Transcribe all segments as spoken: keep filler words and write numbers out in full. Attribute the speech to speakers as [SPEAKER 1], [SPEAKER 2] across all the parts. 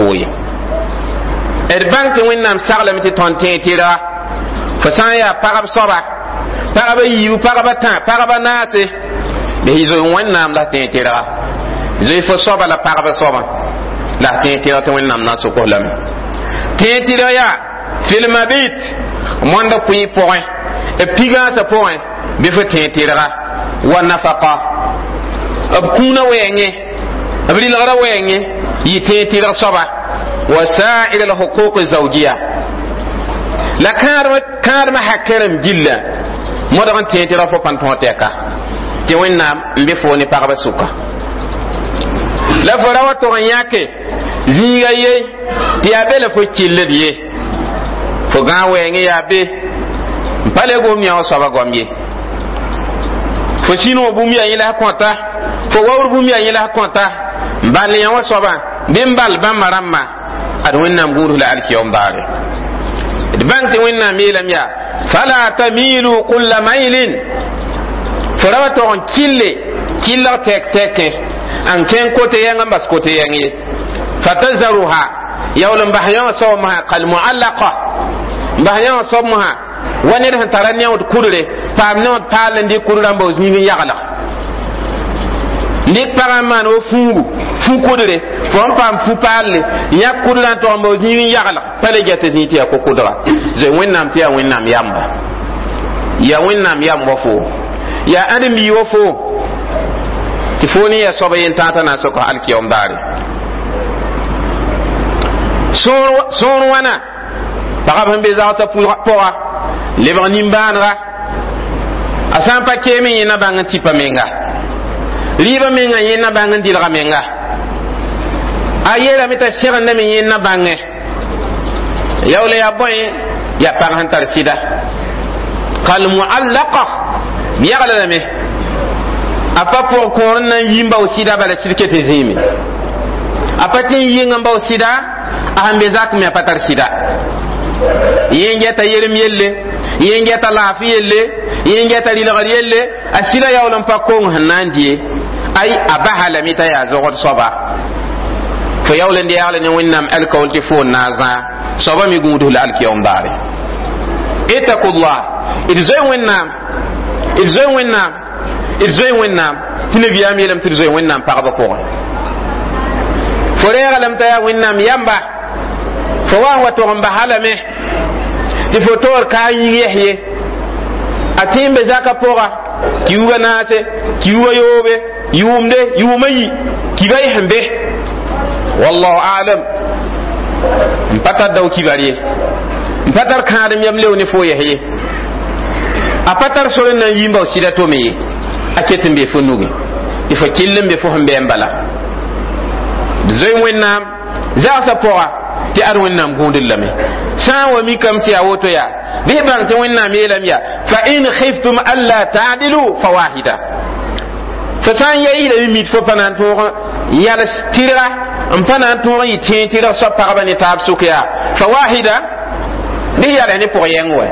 [SPEAKER 1] fo ye d bãng tɩ Wẽnnaam saglame tɩ tõnd tẽeg tɩrga fo sã n yaa pagb soaba, pagba yiibu, pagba tã, pagba naase, bɩ y zoe Wẽnnaam la tẽeg tɩrga, zoe fo soaba la pagba soabã la tẽeg tɩrg tɩ Wẽnnaam na n sʋk lame. Tẽeg tɩrg yaa fil mabit, moanda kʋɩ pʋgẽ, b pigãasã pʋgẽ, bɩ fo tẽeg tɩrga wa nafaqa, b kũuna wɛɛngẽ, b rɩlgrã wɛɛngẽ, yɩ tẽeg tɩrg soaba, wa sa'ir al huquq zawjiya, la kãadmã hakɛrem gilla modg n tẽeg tɩrg fo pãn tõog tɛka tɩ Wẽnnaam n be fo ne pagba sʋka. La fo ra wa tog n yãke zĩiga ye tɩ yaa be la fo killed ye, fo gãag wɛɛngẽ yaa be n pa le gom yã wã soaba goam ye, fo sĩnog bũmb yaa yẽ la kõta, fo waoor bũmb yaa yẽ la kõta, n ball yã wã soabã bɩ n ball bãmba rãmbã. Ad Wẽnnaam gũudf la alkiyom daare. D bãng tɩ Wẽnnaam yeelame yaa fala tamilu kulla mailin, fo ra wa tog n kille killg tɛk tɛkẽ n kẽng kote yɛng n bas kote yɛng ye, fatazaruha, yaool n bas yã wã soab mosã kalmuallaqa, n bas yã wã soab mosã wa ned sẽn tara neood kudre, paam neood paal n dɩk kudrã n bao zĩig n yaglg, n dɩk pagã n maan wo fũugu fũ kudre, fo n paam fũ paalle yãk kudrã n tog n bao zĩig n yaglg, pa le get zĩig tɩ yaa ko-kʋdga. Zoe Wẽnnaam tɩ yaa Wẽnnaam yamba, yaa Wẽnnaam yam wa fo, yaa ãdem-bi wa fo, tɩ fo ne ya soaba yen tãata na n sok alkiyom daare. Sõor wãna pagb sẽn be zagsã pʋga lebg nimbãanega, a sã n pa keeme, yẽ na bãng n tipa menga rɩɩbã menga, yẽ na bãng n dɩlga menga, a yeelame t'a sẽgendame, yẽ na bãngẽ yaool yaa bõe, yaa pag sẽn tar sɩda kalmuallaqa, yagla lame a pa pʋg kõor n na n yi n bao sɩda, bala sɩd ket zĩime, a pa tɩ n yɩng n bao sɩda, a sẽn be zak me a pa tar sɩda, yẽ n gɛta yerem yelle, yẽ n gɛta laafɩ yelle, yẽ n gɛta rɩlgr yelle, a sɩda yaool n pa kong sẽn na n die, ay a basa lame t'a yaa zogd soaba. Fo yaool n deegle ne Wẽnnaam alkaool tɩ fo n na n zãa soaba me gũudf la alkiyom daare. Ittakullah, d zoe Wẽnnaam, d zoe Wẽnnaam, d zoe Wẽnnaam, tɩ nabiyaam yeelame tɩ d zoe Wẽnnaam pagba pʋgẽ. Fo reega lame t'a yaa Wẽnnaam yamba, fo wa n wa tog n basa lame tɩ fo toor ka yĩng yɛs ye, a tẽ n be zaka pʋga, kiuga naase, kiuga yoobe, yʋʋmde, yʋʋma yi, kiba y sẽn be, wallahu alam, n pa tar dao kibar ye, n pa tar kãadem yam leo ne fo yɛs ye, a pa tar sor n na n yi n bao sɩda tome ye, a ket n be fo nugẽ tɩ fo kell n be fo sẽn bɩ n bala. D zoe Wẽnnaam zagsã pʋga tɩ ad Wẽnnaam gũudr lame. Sã n wa mikame tɩ yaa woto yaa, bɩ bãng tɩ Wẽnnaam yeelame yaa fa in khiftum alla ta'dilu fa wahida, fo sã n ya yɩlame mit fo pa na n tõog yals tɩrga, n pa na n tõog n yɩ tẽeg tɩrg soab pagba ne taab sʋk yaa fa wahida, bɩ yals ne pʋg yɛng wɛ,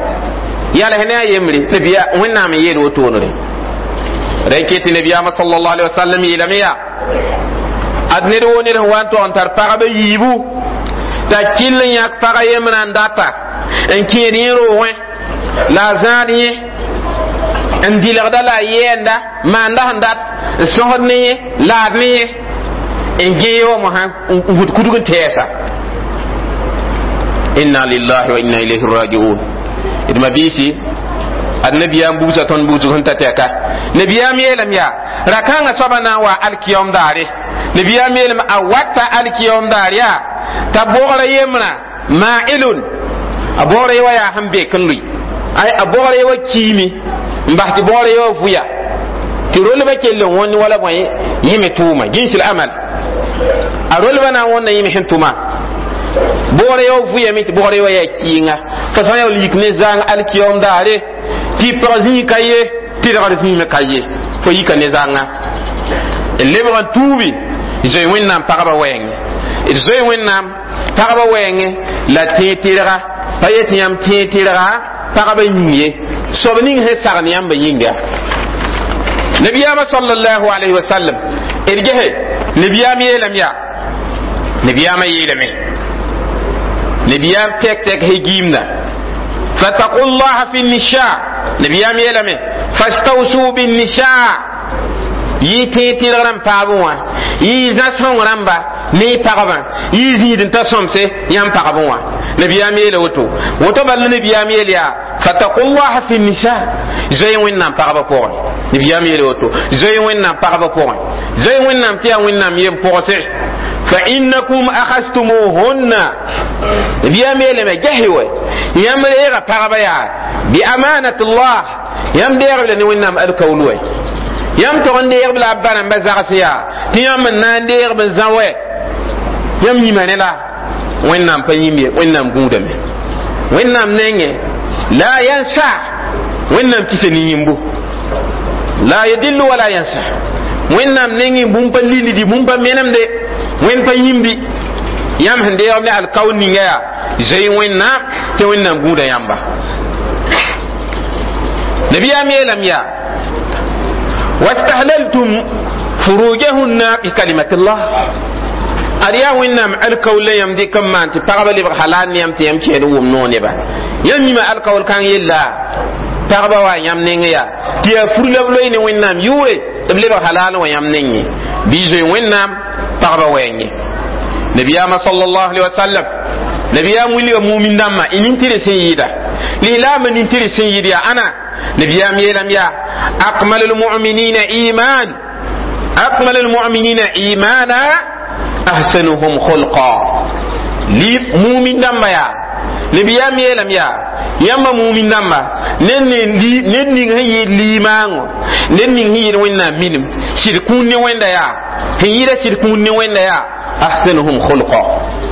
[SPEAKER 1] yals ne a yembre, nabiya Wẽnnaam n yeel wotoonre ra ket tɩ nabiyaamã sallallahu alaihi wasallam yeelame yaa ad ned woo ned sẽn wa n tog n tar pagba yiibu, t'a kell n yãk pag yembrã n data n kẽed yẽ roogẽ, la a zãad yẽ n dɩlgda, la a yɛɛnda maanda sẽn dat n sõsd ne yẽ, laad ne yẽ, n gẽ wa mosã n gũd kudg n tɛɛsa. Inna lillahi wa inna ilayhi rajiun. D mabiisi, ad nabiyaam bugsã tõnd bugsg sẽn ta tɛka, nabiyaam yeelame yaa ra-kãngã soabã na n wa alkiyom daare, nabiyaam yeelame a wata alkiyom daar yaa t'a bogra yembrã ma'ilun, a bogra ye wa yaa sẽn bek n lʋɩ, ay a bogra ye wa kiime n bas tɩ bogra ye wa vʋya tɩ rolbã kell n wõnd wala bõe yẽme tʋʋma gĩsl amal, a rolbã na n wõnda yẽme sẽn tʋma, bogra ye wa vʋyame tɩ bogra ye wa yaa kɩɩnga, fo sã n yaool yik ne zãang alkiyom daare tɩ pag zĩig ka ye, tɩrgr zĩig ka ye, fo yika ne zãnga n lebg n tuubi. Zoe Wẽnnaam pagba wɛɛngẽ, d zoe Wẽnnaam pagba wɛɛngẽ la tẽeg tɩrga pa yet yãmb tẽeg tɩrga pagba yĩng ye, soab ning sẽn sagn yãmba yĩnga. Nabiyaamã sallallahu alayhi wa sallam, d gese nabiyaam yeelame yaa Nabiyaamã yeelame, nabiyaam tɛk tɛk he giimda: fattaqu llaha fi nisa. Nabiyaam yeelame: fastawsu binnisa. Yɩ tẽeg tɩrg rãmb paabẽ wã, yɩ zã-sõng rãmba ne y pagba, yɩ zĩid n ta sõmse yãmb pagbe wã. Nabiyaam yeela woto woto bal la nabiyaam yeel yaa: fattaqu llaha fi nisa. Zoe Wẽnnaam pagba pʋgẽ. Nabiyaam yeela woto: zoe Wẽnnaam pagba pʋgẽ, zoe Wẽnnaam tɩ yaa Wẽnnaam yem pʋgse. Fa innakum akhastumuhunna. Nabiyaam yeelame: gesɩ wɛ, yãmb reega pagba yaa bi amanatullah, yãmb deegb la ne Wẽnnaam alkaul wɛ. Yãmb tog n deegb la a ba rãmba zags yaa tɩ yãmb n na n deegb n zã wɛ. Yãmb yĩma ne la Wẽnnaam pa yĩmb ye, Wẽnnaam gũudame Wẽnnaam nengẽ la yansa. Wẽnnaam kisa ne yĩmbu, la yadillu wala yansa. Wẽnnaam nengẽ bũmb pa lildi, bũmb pa menemde, Wẽnd pa yĩmbi. Yãmb sẽn deegb ne alkaul ninga yaa zoe Wẽnnaam tɩ Wẽnnaam gũuda yãmba. Nabiyaam yeelame yaa: wastahlaltum furujahunna bi kalimatillah. Ad yaa Wẽnnaam alkaul la yãmb dɩk n maan tɩ pagba lebg halal ne yãmb tɩ yãmb kẽed n wʋm noog neba. Yãmb yĩma alkaul kãng yella pagba wa yãmb neng yaa tɩ yaa fur la b loe ne Wẽnnaam yʋʋre tɩ b lebg halal wã yãmb nengẽ. Bɩ zoe Wẽnnaam pagba wɛɛngẽ. Nabiyaamã sallallahu alaihi wasallam, nabiyaam wilga mumin dãmbã y nin-tɩrg sẽn yɩɩda lislaamã nin-tɩrg sẽn yɩɩd yaa ãna. Nabiyaam yeelame yaa: akmalu lmuminina iman, akmalu lmuminina imana ahsanuhum khulqa. Li mumin dãmba yaa, nabiyaam yeelame yaa: yãmba mumin dãmba, ned ning sẽn yɩɩd liimaangõ, ned ning sẽn yɩɩd Wẽnnaam minim sɩd kũun ne Wẽnda yaa sẽn yɩɩda sɩd kũun ne Wẽnda yaa ahsanuhum khulqa,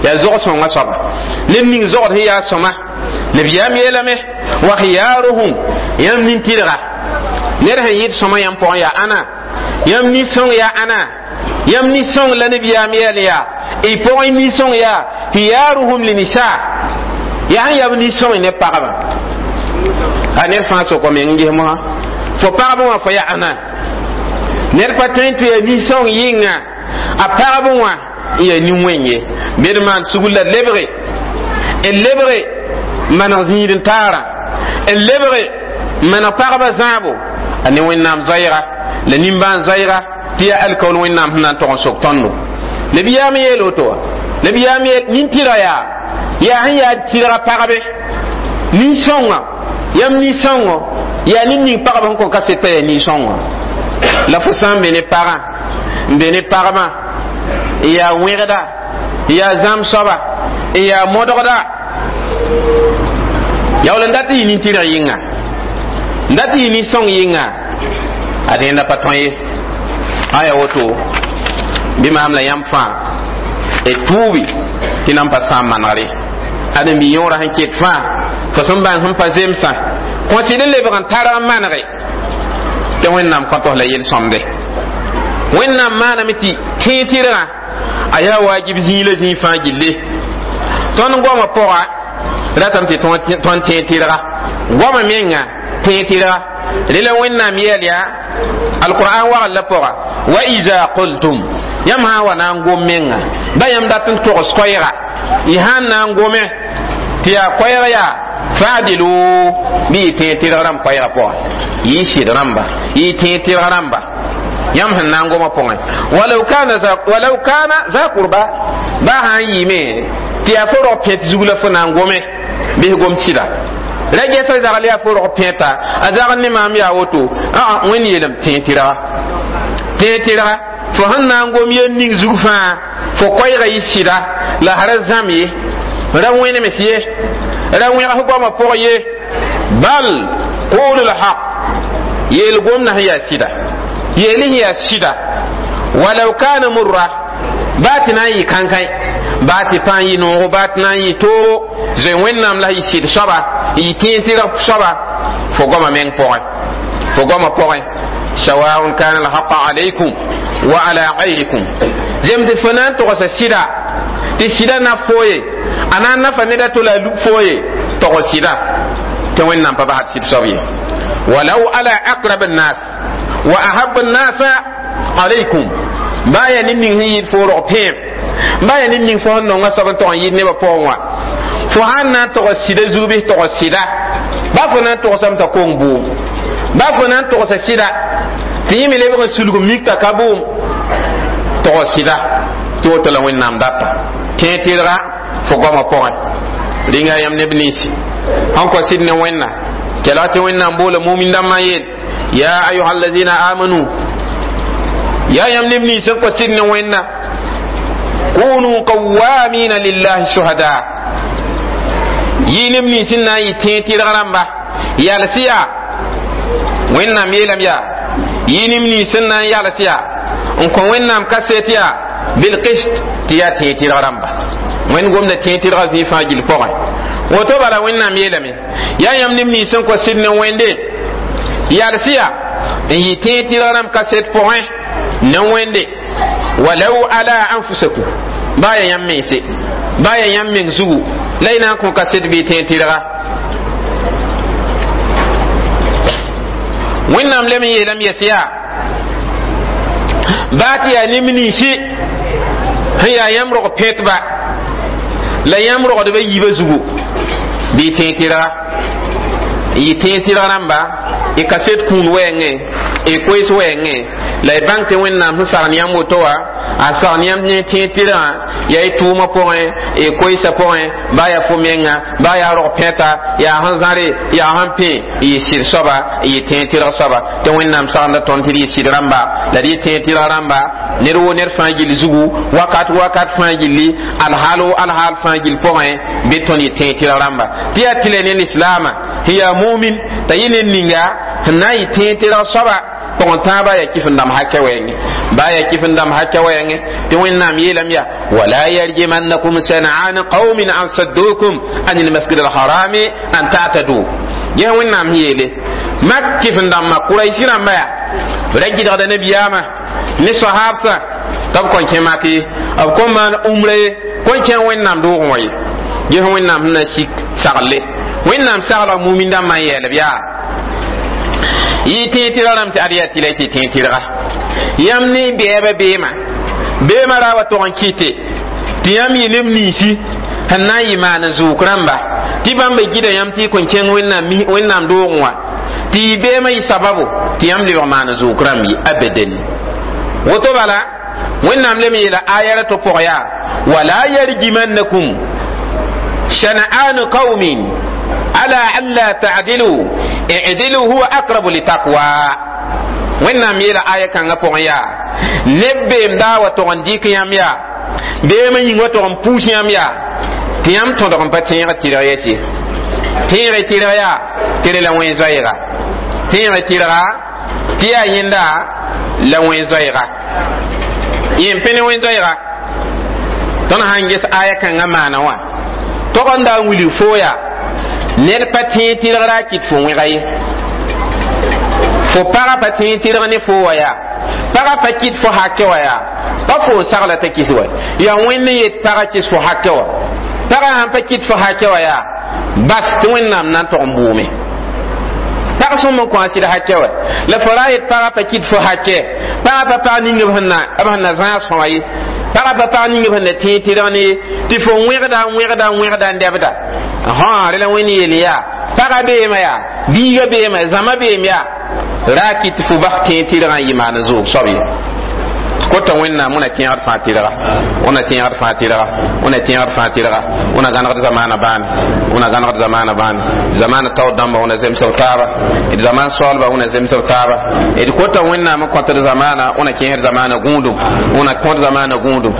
[SPEAKER 1] yaa zog-sõngã soaba, ned ning zogd sẽn yaa sõma. Nabiyaam yeelame: wa khiyaruhum. Yãmb nin-tɩrga, ned sẽn yɩɩd sõma yãmb pʋgẽ yaa ãna, yãmb nin-sõng yaa ãna, yãmb nin-sõng la nabiyaam yeel yaa y pʋgẽ nin-sõng yaa khiyaruhum linisa, yaa sẽn yaa b nin-sõng ne pagba. A ned fãa sokɔ meng n ges mosã fo pagb wã fo yaa ãna. Ned pa tõe n tɩ yaa nin-sõng yɩnga a pagb wã n yaa nin-wẽng ye. Bed maan sugr la lebge n lebge maneg zĩig n taara, n lebge maneg pagba zãabo a ne Wẽnnaam zoɛɛga la nimbãan zoɛɛga tɩ yaa alkaul Wẽnnaam sẽn na n tog n sok tõndo. Nabiyaam yeel woto wã, nabiyaam yeel nin-tɩrga yaa yaa sẽn yaa tɩrga pagbe nin-sõngã. Yãmb nin-sõngo yaa ned ning pagb sẽn kõn ka seta yaa nin-sõngo la fo sã n be ne pagã n be ne pagbã n yaa wẽgda, n yaa zãmb soaba, n yaa modgda, yaool n dat n yɩ nin-tɩrg yɩnga, n dat n yɩ nin-sõng yɩnga, a dẽnda pa tõe ye. Aya woto bɩ maam la yãmb fãa d tuubi tɩ nan pa sãam manegre. Ãdem-bi yõora sẽn ket fãa fo sẽn bãng sẽn pa zemsã kõsɩd n lebg n tar n manege tɩ Wẽnnaam kõtos la yel-sõmde. Wẽnnaam maaname tɩ tẽeg tɩrgã a yaa wajib zĩig la zĩig fãa gilli. Tõnd goamã pʋga ratame tɩ tõnd tẽeg tɩrga goamã menga tẽeg tɩrga rela Wẽnnaam yɛɛl yaa alqur'an wagl la pʋga: wa iza qultum. Yãmb sã n wa na n gom menga ba yãmb dat n togs koɛɛga, y sã n na n gome tɩ yaa koɛɛg yaa fa'dilu, bɩ y tẽeg tɩrg rãmb koɛɛga pʋga, yɩ sɩd rãmba, yɩ tẽeg tɩrg rãmba yãmb sẽn na n goma pʋgẽ. Walau kana za, walau kana za qurba, ba sã n yɩɩme tɩ yaa fo rog pẽt zug la fo na n gome, bɩs gom sɩda ra gɛsa zagl yaa fo rog pẽeta a zagl ne maam yaa woto. Aa, Wẽnd yeelame tẽeg tɩrga, tẽeg tɩrga fo sẽn na n gom yel ning zug fãa fo koɛɛga yɩ sɩda la ra zãm ye, ra wẽnems ye, ra wẽgs goamã pʋg ye. Bal qulu lhaq, yeel gomdã sẽn yaa sɩda, yeel sẽn yaa sɩda. Walau kana murra, baa tɩ na n yɩ kãnkãe, baa tɩ pa n yɩ noogo, baa tɩ na n yɩ toogo, zoe Wẽnnaam la yɩ sɩd soaba, yɩ tẽeg tɩrg soaba fo goamã meng pʋgẽ, fo goamã pʋgẽ. Sawaun kana alhaqa alaykum wa ala gayrikum, zem tɩ fo na n togsa sɩda tɩ sɩda na fo ye, a na n nafa ned a to la a lub fo ye, togs sɩda tɩ Wẽnnaam pa basd sɩd soab ye. Walau ala aqrab annas wa ahab annasa alaykum, baa yaa ned ning sẽn yɩɩd fo rog pẽem. Ba ya ned ning fo sẽn nonga soab n tog n yɩɩd nebã pʋgẽ wã fo sãn na n tog sɩda zug bɩ tog sɩda ba fo na n togsame t'a kong bʋʋm ba fo na n togsa sɩda tɩ yẽ me lebg n sulg mik t'a ka bʋʋm tog sɩda tɩ woto la Wẽnnaam data tẽeg tɩrga fo goamã pʋgẽ rĩnga yãmb neb ninsi sẽn kõ sɩd ne Wẽnna kelg tɩ Wẽnnaam boola mumin dãmbã n yeel ya ayuha allazina amanu yaa yãmb neb nins sẽn kõ sɩd ne Wẽnna kunu qawamina lillahi shuhada yɩ neb nins n na n yɩ tẽeg tɩrg rãmba yals yaa Wẽnnaam yeelame yaa yɩ neb nins n na n yals yaa n kõ Wẽnnaam kaset yaa bilqist tɩ yaa tẽeg tɩrg rãmba Wẽnd gomda tẽeg tɩrga zĩig fãa gill pʋgẽ woto bala Wẽnnaam yeelame yaa yãmb neb nins sẽn kõ sɩd ne Wẽnde yals yaa n yɩ tẽeg tɩrg rãmb kaset pʋgẽ ne Wẽnde walau ala anfusakum baa ya yãmb mense baa ya yãmb meng zugu la y na n kõ kaset bɩ tẽeg tɩrga Wẽnnaam lem n yeelame yɛs yaa baa tɩ yaa neb ninsi sẽn yaa yãmb rog pẽtba la yãmb rogdba yiibã zugu bɩ tẽeg tɩrga n yɩ tẽeg tɩrg rãmba y kaset kũun wɛɛngẽ y koees wɛɛngẽ la y bãng tɩ Wẽnnaam sẽn sagn yãmb woto wã a sagn yãmb ne tẽeg tɩrgã yaa y tʋʋmã pʋgẽ y koeesã pʋgẽ baa yaa fo menga baa yaa rog pẽta yaa sẽn zãre yaa sẽn pẽ y yɩ sɩd soaba y yɩ tẽeg tɩrg soaba tɩ Wẽnnaam sagenda tõnd tɩ d yɩ sɩd rãmba la d yɩ tẽeg tɩrg rãmba ned woo ned fãa gill zugu wakat wakat fãa gilli alhaal wo alhaal fãa gill pʋgẽ bɩ tõnd yɩ tẽeg tɩrg rãmba tɩ yaa tɩ la ne lislaama sẽn yaa mumin t'a yɩ ned ninga sẽn na n yɩ tẽeg tɩrg soaba pʋgẽ tãabã yaa kɩf n dãmb hakɛ wɛɛngẽ baa yaa kɩf n dãmb hakɛ wɛɛngẽ tɩ Wẽnnaam yeelame yaa wala yarjimannakum san'an qaumin an saddukum an almasjid alharami an ta'tadu ges Wẽnnaam sẽn yeele mak kɩf n dãmbã Kuraisi rãmba yaa b ra gɩdgda nabiyaamã ne sahabsã tɩ b kõn kẽ mak ye b kõn maan umra ye kõn kẽ Wẽnnaam doogẽ wã ye ges Wẽnnaam sẽn na n sik sagle Wẽnnaam saglg mumin dãmbã n yɛɛlb yaa yɩ tẽeg tɩrg rãmb tɩ ad yaa tɩ la y tɩ tẽeg tɩrga yãmb ne bɛɛbã beemã beemã ra wa tog n kɩte tɩ yãmb yɩ neb ninsi sẽn na n yɩ maan zʋʋk rãmba tɩ bãmba gɩda yãmb tɩ y kõn kẽng Wẽnnaam doogẽ wã tɩ y beemã yɩ sababo tɩ yãmb lebg maan zʋʋk rãmb ye abadan woto bala Wẽnnaam lem yeela aya ra to pʋg yaa wala yarjimannakum shana'anu qaumin ala alla ta'dilu i'dilu huwa aqrabu litaqwa Wẽnnaam yeela aya kãngã pʋgẽ yaa neb beem daa wa tog n dɩk yãmb yaa beemã yĩng wa tog n puus yãmb yaa tɩ yãmb tõdg n pa tẽeg tɩrg yɛse tẽeg tɩrg yaa tɩ la wẽn zoɛɛga tẽeg tɩrga tɩ yaa yẽnda la wẽn zoɛɛga yẽ pẽ ne wẽn zoɛɛga tõnd sãn ges aya kãngã maana wã tog n daa n wilg foo yaa ned pa tẽeg tɩrg ra a kɩt fo wẽga ye fo pagã pa tẽeg tɩrg ne fo wa yaa pagã pa kɩt fo hakɛ wa yaa pa fo n sagla t'a kɩs wa yaa Wẽnd n yet pagã kɩs fo hakɛ wa pagã sãn pa kɩt fo hakɛ wa yaa bas tɩ Wẽnnaam na n tog n bʋʋme pag sõm n kõ a sɩd hakɛ wa la fo ra yet pagã pa kɩt fo hakɛ pagã pa pag ning b sẽn na b sẽn na zãas fõ wã ye pagã pa pag ning b sẽn na tẽeg tɩrg ne ye tɩ fo wẽgda n wẽgda n wẽgda n dɛbda hã rẽ la Wẽnd yeel yaa pagã beemã yaa biigã beemã zãma beem yaa ra kɩt fo bas tẽeg tɩrgã n yɩ maan zʋʋg soab ye kota Wẽnnaam wẽna tẽegd fãa tɩrga wẽna tẽegd fãa tɩrga wẽna tẽegd fãa tɩrga wẽna gãnegd zamaana bãane wẽna gãnegd zamaana bãane zamaana taoor dãmba wẽna zemsb taaba d zaman soaalba wẽna zemsb taaba d kota Wẽnnaam n kõtd zamaana wẽna kẽesd zamaana gũudum wẽna kõt zamaana gũudum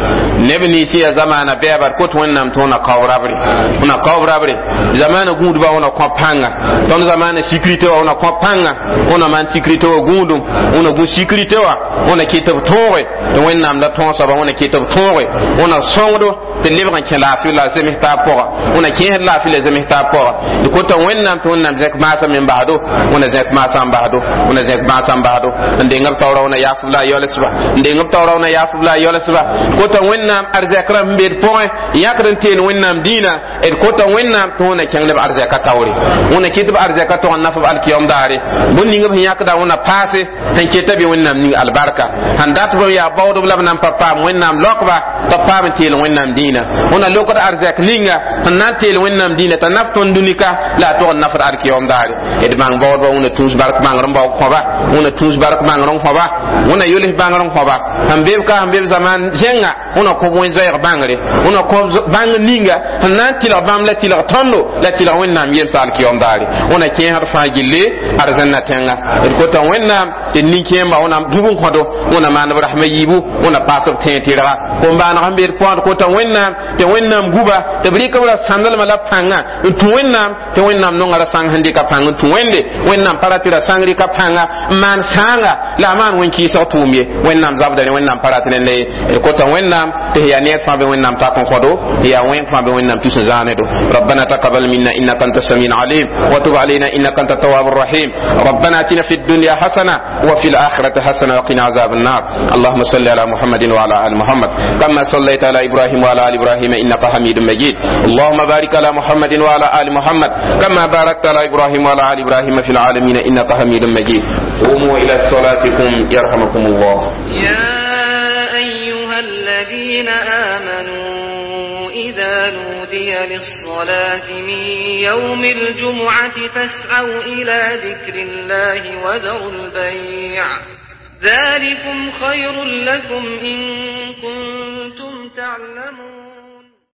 [SPEAKER 1] neb nins yaa zamaana bɛɛba d kot Wẽnnaam tɩ wẽna kaob rabre wẽna kaob rabre zamaana gũudba wẽna kõ pãnga tõnd zamaana sécurité wa wẽna kõ pãnga wẽna maan sécurité wa gũudum wẽna gũ sécurité wa wẽna kɩt b tõoge tɩ Wẽnnaam la tõog soaba wẽna kɩt b tõoge wẽna sõngdo tɩ lebg n kẽ laafɩ la zems taab pʋga wẽna kẽesd laafɩ la zems taab pʋga d kota Wẽnnaam tɩ Wẽnnaam zẽk maasã me n basdo wẽna zẽk maasã n basdo wẽna zẽk maasã n basdo n deng b taoora wẽna yaasb la a yaoolsba n deng b taoora wẽna yaasb la a yaoolsba d kota Wẽnnaam arzɛk rãmb sẽn be d pʋgẽ yãkd n teen Wẽnnaam dĩinã d kota Wẽnnaam tɩ wẽna kẽng neb arzɛka taoore wẽna kɩt b arzɛka tog n naf b alkiyom daare bũn ning b sẽn yãkda wẽna paase sẽn keta bɩ Wẽnnaam ning albarka sẽn dat b yaa Baoodb la b na n pa paam Wẽnnaam laokba tɩ b paam n teel Wẽnnaam dĩinã. Wẽnna lokd arzɛk ninga sẽn na n teel Wẽnnaam dĩinã t'a naf tõnd dũnika la a tog n nafd alkiyom daare. D bãng baoodba, Wẽnna tũus bark bãngr n baoog kõba, Wẽnna tũus bark bãngr n kõba, Wẽnna yols bãngr n kõba sẽn be b ka sẽn be b zaman zẽnga. Wẽnna kõb wẽn-zoɛɛg bãngre, Wẽnna kõb bãngr ninga sẽn na n tɩlg bãmb la tɩlg tõndo la tɩlg Wẽnnaam yemsa alkiyom daare. Wẽnna kẽesd fãa gilli arzãnna tẽnga. D kota Wẽnnaam tɩ nin-kẽemba Wẽnnaam dũb n kõdo, Wẽnna maan b rasmã yiibu, Wẽnna paas b tẽeg tɩrga kom-baaneg sẽn be d pʋgã. D kota Wẽnnaam tɩ Wẽnnaam guba tɩ b rɩk b ra sãndlmã la pãnga n tũ Wẽnnaam, tɩ Wẽnnaam nonga ra sãng sẽn dɩka pãng n tũ Wẽnde. Wẽnnaam pa ra tɩ ra sãng rɩka pãnga n maan sãanga la a maan wẽn-kɩɩsg tʋʋm ye. Wẽnnaam zabda rẽ, Wẽnnaam pa rat rẽnda ye. D kota Wẽnnaam tɩ yaa neer fãa be Wẽnnaam tak n kõdo, yaa wẽng fãa be Wẽnnaam tus n zãanedo. ربنا تقبل منا انك انت السميع العليم وتب علينا انك انت التواب الرحيم. ربنا اتنا في الدنيا حسنه وفي الاخره حسنه وقنا عذاب النار. اللهم صل على محمد وعلى ال محمد كما صليت على ابراهيم وعلى ال ابراهيم انك حميد مجيد. اللهم بارك على محمد وعلى ال محمد كما باركت على ابراهيم وعلى ال ابراهيم في العالمين انك حميد مجيد. قوموا الى صلاتكم يرحمكم الله.
[SPEAKER 2] يا أيها الذين آمنوا إذا نودي للصلاة من يوم الجمعة فاسعوا إلى ذكر الله وذروا البيع ذلكم خير لكم إن كنتم تعلمون.